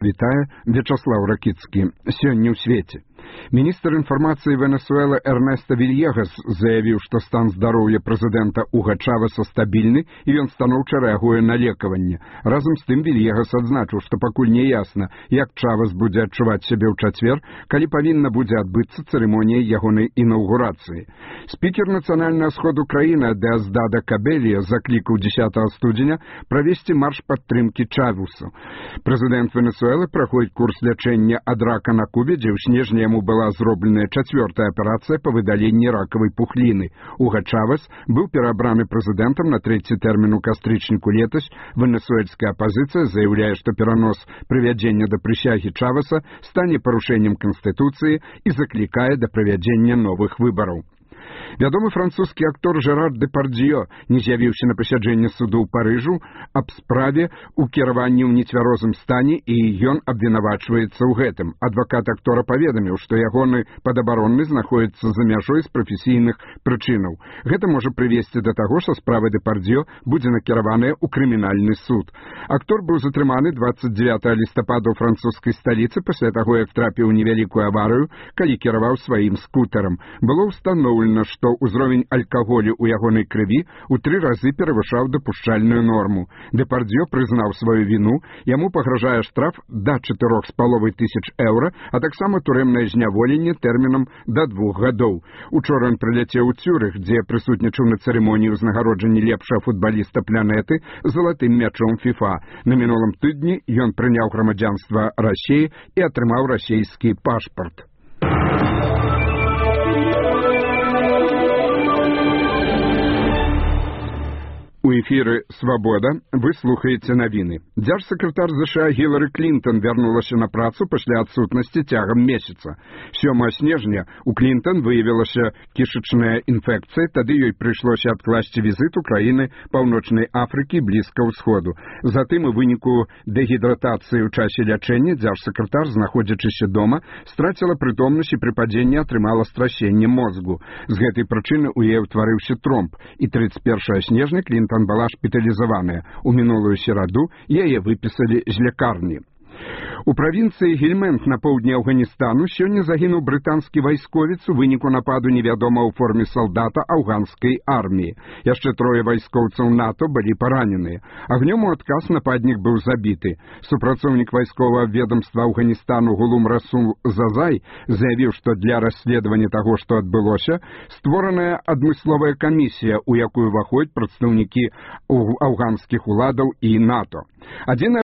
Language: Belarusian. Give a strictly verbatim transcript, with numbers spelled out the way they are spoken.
Вітае Вячаслаў Ракіцкі. Сёння ў свеце. Міністр інфармацыі Венесуэлы Эрнеста Вильегас заявіў, што стан здароўя прэзідэнта Уга Чавеса стабільны і ён станоўча рэагуе на лекаванне. Разам з тым Вильегас адзначыў, што пакуль не ясна, як Чавес будзе адчуваць сябе ў чацвер, калі павінна будзе адбыцца цырымонія ягонай інаўгурацыі. Спікер нацыянальнага сходу краіны Деоздадо Кабелия заклікаў дзесятага студзеня правесці марш падтрымкі Чавесу. Прэзідэнт Венесуэлы праходзіць курс лячэння ад рака на Кубе, дзе ў снежні яму была зробленая чацвёртая аперацыя па выдаленні ракавай пухліны. Уга Чавес быў перабраны прэзідэнтам на трэці тэрмін у кастрычніку летась. Венесуэльская апазіцыя заяўляе, што перанос прывядзення да прысягі Чавеса стане парушэннем Канстытуцыі і заклікае да правядзення новых выбараў. Вядомы французскі актор Жерар Депардзьё не з'явіўся на пасяджэнне суду ў Парыжу аб справе ў кіраванні ў нецвярозым стане, і ён абвінавачваецца ў гэтым. Адвакат актора паведаміў, што ягоны падабаронны знаходзіцца за мяжой з прафесійных прычынаў. Гэта можа прывесці да таго, што справа Депардзьё будзе накіраваная ў крымінальны суд. Актор быў затрыманы дваццаць дзевятага лістапада ў французскай сталіцы пасля таго, як трапіў у невялікую аварыю, калі кіраваў сваім скутарам. Было ўстаноўлена, што ўзровень алкаголю ў ягонай крыві ў тры разы перавышаў дапушчальную норму. Депардзьё прызнаў сваю віну, яму пагражае штраф да чатырох з паловай тысяч еўра, а таксама турэмнае зняволенне тэрмінам да двух гадоў. Учора ён прыляцеў у Цюрых, дзе прысутнічаў на цырымоніі ўзнагароджання лепшага футбаліста планеты залатым мячом фіфа. На мінулым тыдні ён прыняў грамадзянства Расіі і атрымаў расійскі пашпарт. У эфіры «Свабода» вы слухаеце навіны. Дзяржсакратар ЗША Гілары Клінтон вярнулася на працу пасля адсутнасці цягам месяца. сёмага снежня у Клінтон выявілася кішачная інфекцыя, тады ёй прыйшлося адкласці візіт у краіны Паўночнай Афрыкі і Блізкага ўсходу. Затым у выніку дэгідратацыі ў часе лячэння дзяржсакратар, знаходзячыся дома, страціла прытомнасць і пры падзенні атрымала страсенне мозгу. З гэтай прычыны ў яе ўтварыўся тромб, і трыццаць першага снежня Клінтон была шпіталізаваная. У мінулую сераду яе выпісалі з лякарні. У правінцыі Гельмэнт на поўдні Афганістану сёння загінуў брытанскі вайсковец у выніку нападу невядомага ў форме салдата афганскай арміі. Яшчэ трое вайскоўцаў НАТО былі параненыя. Агнём у адказ нападнік быў забіты. Супрацоўнік вайсковага ведамства Афганістану Гулум Расул Зазай заявіў, што для расследавання таго, што адбылося, створаная адмысловая камісія, у якую ўваходзяць прадстаўнікі афганскіх уладаў і НАТО. Адзіная